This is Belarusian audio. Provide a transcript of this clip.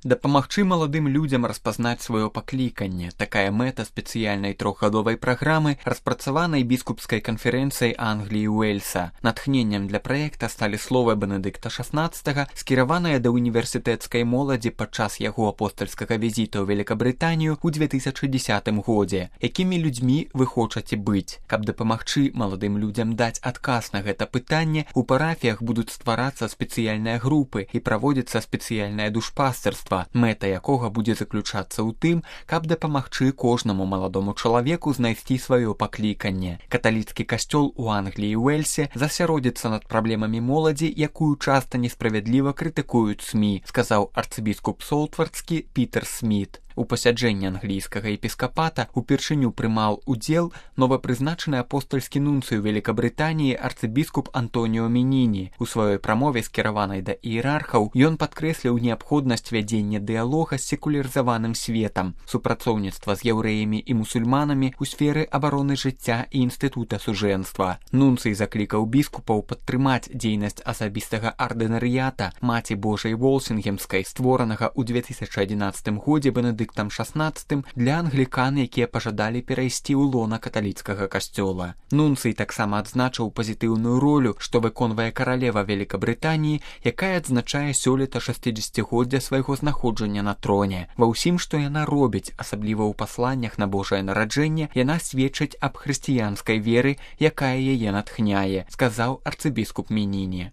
Дапамагчы маладым людзям распазнаць сваё пакліканне. Такая мэта спецыяльнай трохгадовай праграмы, распрацаванай біскупскай канферэнцыяй Англіі і Уэльса. Натхненнем для праекта сталі словы Бенедыкта XVI, скіраваныя да універсітэцкай моладзі падчас яго апостальскага візіта ў Великабрытанію ў 2010 годзе. Якімі людзьмі вы хочаце быць? Каб дапамагчы маладым людзям даць адказ на гэта пытанне, у парафіях будуць стварацца спецыяльныя групы і праводзіцца спецыяльнае душпастырства, мэта якога будзе заключацца ў тым, каб дапамагчы кожнаму маладому чалавеку знайсці сваё пакліканне. Каталіцкі касцёл у Англіі і Уэльсе засяродзіцца над праблемамі моладзі, якую часта несправядліва крытыкуюць СМІ, сказаў арцыбіскуп Солтвардскі Пітер Сміт. У пасяджэнні англійскага епіскапата упершыню прымаў удзел новапрызначаны апостальскі нунцый у Великабрытаніі арцыбіскуп Антоніо Меніні. У сваёй прамове, скіраванай да іерархаў, ён падкрэсліў неабходнасць вядзення дыялога з секулярызаваным светам, супрацоўніцтва з яўрэямі і мусульманамі ў сферы абароны жыцця і інстытута сужэнства. Нунцый заклікаў біскупаў падтрымаць дзейнасць асабістага ардынарыята Маці Божай Волсінгемскай, створанага ў 2011 годзе Бенедыктам XVI для англікан, якія пажадалі перайсці ў лона каталіцкага касцёла. Нунцый таксама адзначыў пазітыўную ролю, што выконвае каралева Великабрытаніі, якая адзначае сёлета 60-годдзя свайго знаходжання на троне. Ва ўсім, што яна робіць, асабліва ў пасланнях на Божае нараджэнне, яна сведчыць аб хрысціянскай веры, якая яе натхняе, сказаў арцыбіскуп Меніні.